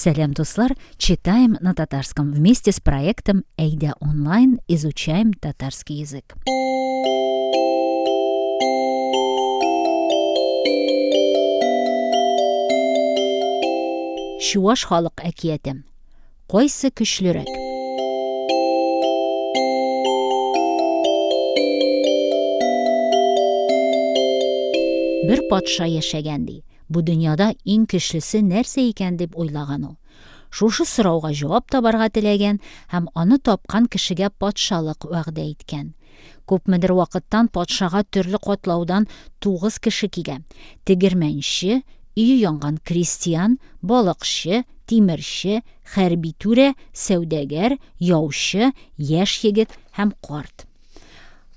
Сәлам, дуслар! Читаем на татарском вместе с проектом Әйдә онлайн изучаем татарский язык. Чуаш халык әкияте. Кайсы көчлерәк? Бер патша яшәгән ди. Бу дөньяда иң көчлесе нәрсә икән дип уйлаган ул. Шушы сорауга җавап табарга теләгән һәм аны тапкан кешегә патшалык вәгъдә иткән. Күпмедер вакыттан патшага төрле катлаудан тугыз кеше килә. Тегермәнче, өе янган крестьян, балыкчы, тимерче, хәрби түрә, сәүдәгәр, яучы, яшь егет һәм карт.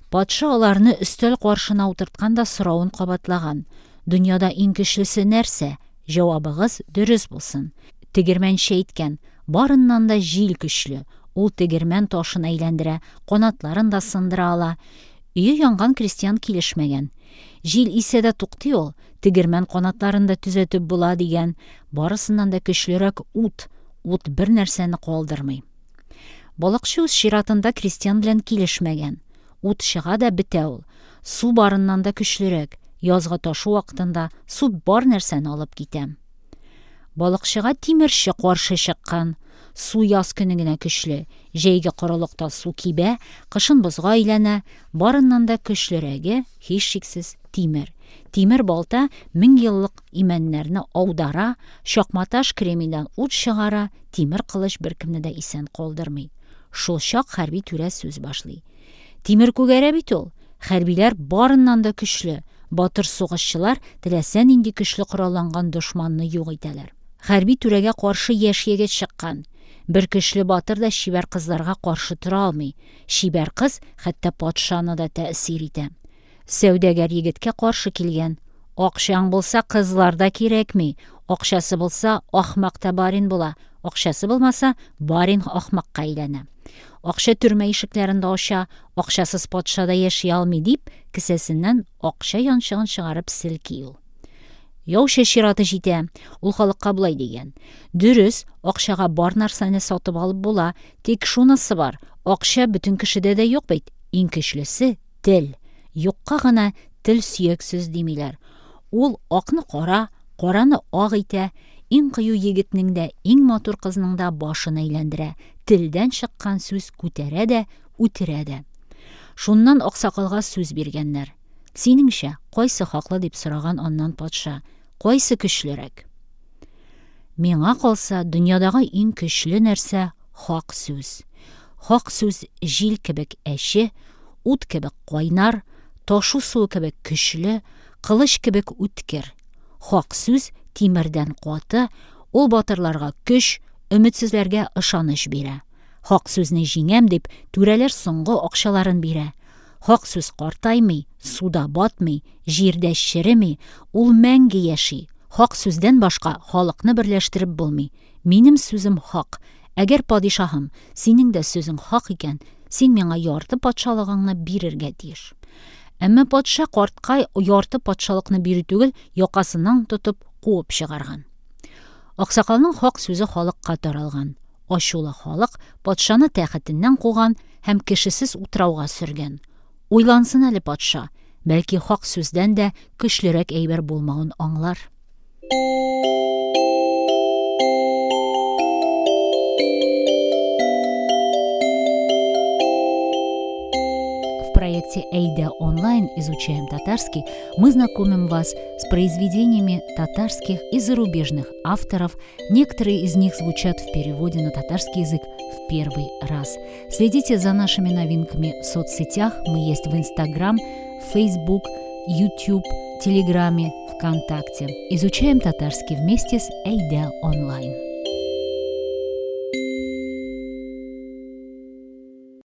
Патша аларны өстәл каршына утырткан да соравын кабатлаган, Дөньяда иң көчлесе нәрсә? Җавабыгыз дөрес булсын. Тегермәнче әйткән, Барыннан да җил көчле. Ул тегермән ташын әйләндерә, канатларын да сындыра ала. Өе янган крестьян килешмәгән. Җил исә дә туктый ул, тегермән канатларын да төзәтеп була, дигән. Барысыннан да көчлерәк ут. Ут бернәрсәне калдырмый. Балыкчы үз чиратында крестьян белән килешмәгән. Ут чыга да бетә ул. Су барыннан да көчлерәк. Язгы ташу вакытында су бар нәрсәне алып китә. Балыкчыга тимерче каршы чыккан. Су яз көне генә көчле. Җәйге корылыкта су кибә, кышын бозга әйләнә. Барыннан да көчлерәге, һичшиксез, тимер. Тимер балта мең еллык имәннәрне аудара, чакматаш кремидан ут чыгара, тимер кылыч беркемне дә исән калдырмый. Шул чак хәрби түрә сүз башлый. Тимер күгәрә бит ул! Хәрбиләр барыннан да көчле, батыр сугышчылар теләсә нинди көчле коралланган дошманны юк итәләр. Хәрби түрәгә каршы яшь егет чыккан. Бер көчле батыр да чибәр кызларга каршы тора алмый. Чибәр кыз хәтта патшаны да тәэсир итә. Сәүдәгәр егеткә каршы килгән. Акчаң булса, кызлар да кирәкми. Акчасы булса, ахмак та барин була. Акчасы булмаса, барин ахмакка әйләнә. Акча төрмә ишекләрен дә ача, акчасыз патша да яши алмый, дип, кесәсеннән акча янчыгын чыгарып селки ул. Яучы чираты җитә. Ул халыкка болай дигән. Дөрес, акчага бар нәрсәне сатып алып була, тик шунысы бар, акча бөтен кешедә дә юк бит. Иң көчлесе, тел. Юкка гына тел сөяксез димиләр. Ул акны кара, караны ак итә, иң кыю егетнең дә, иң матур кызның да башын әйләндерә. Телдән чыккан сүз күтәрә дә, үтерә дә. Шуннан аксакалга сүз биргәннәр. Синеңчә, кайсы хаклы дип сораган аннан патша. Кайсы көчлерәк? Миңа калса, дөньядагы иң көчле нәрсә хак сүз. Хак сүз җил кебек әче, ут кебек кайнар, ташу суы кебек көчле, кылыч кебек үткер. Хак сүз тимердән каты, ул батырларга көч, өметсезләргә ышаныч бирә. Хак сүзне җиңәм дип, түрәләр соңгы акчаларын бирә. Хак сүз картаймый, суда батмый, җирдә череми, ул мәңге яши. Хак сүздән башка халыкны берләштереп булмый. Минем сүзем хак. Әгәр, падишаһым, синең дә сүзең хак икән, син миңа ярты патшалыгыңны бирергә тиеш. Әмма патша картка ярты патшалыкны бирү түгел, якасыннан тотып куып чыгарган. Аксакалның хак сүзе халыкка таралган. Ачулы халык патшаны тәхетеннән куган һәм кешесез утрауга сөргән. Уйлансын әле патша, бәлки хак сүздән дә көчлерәк әйбер булмавын аңлар. В проекте Әйдә онлайн изучаем татарский мы знакомим вас с произведениями татарских и зарубежных авторов. Некоторые из них звучат в переводе на татарский язык в первый раз. Следите за нашими новинками в соцсетях. Мы есть в Инстаграм, Фейсбук, Ютуб, Телеграме, ВКонтакте. Изучаем татарский вместе с Әйдә онлайн.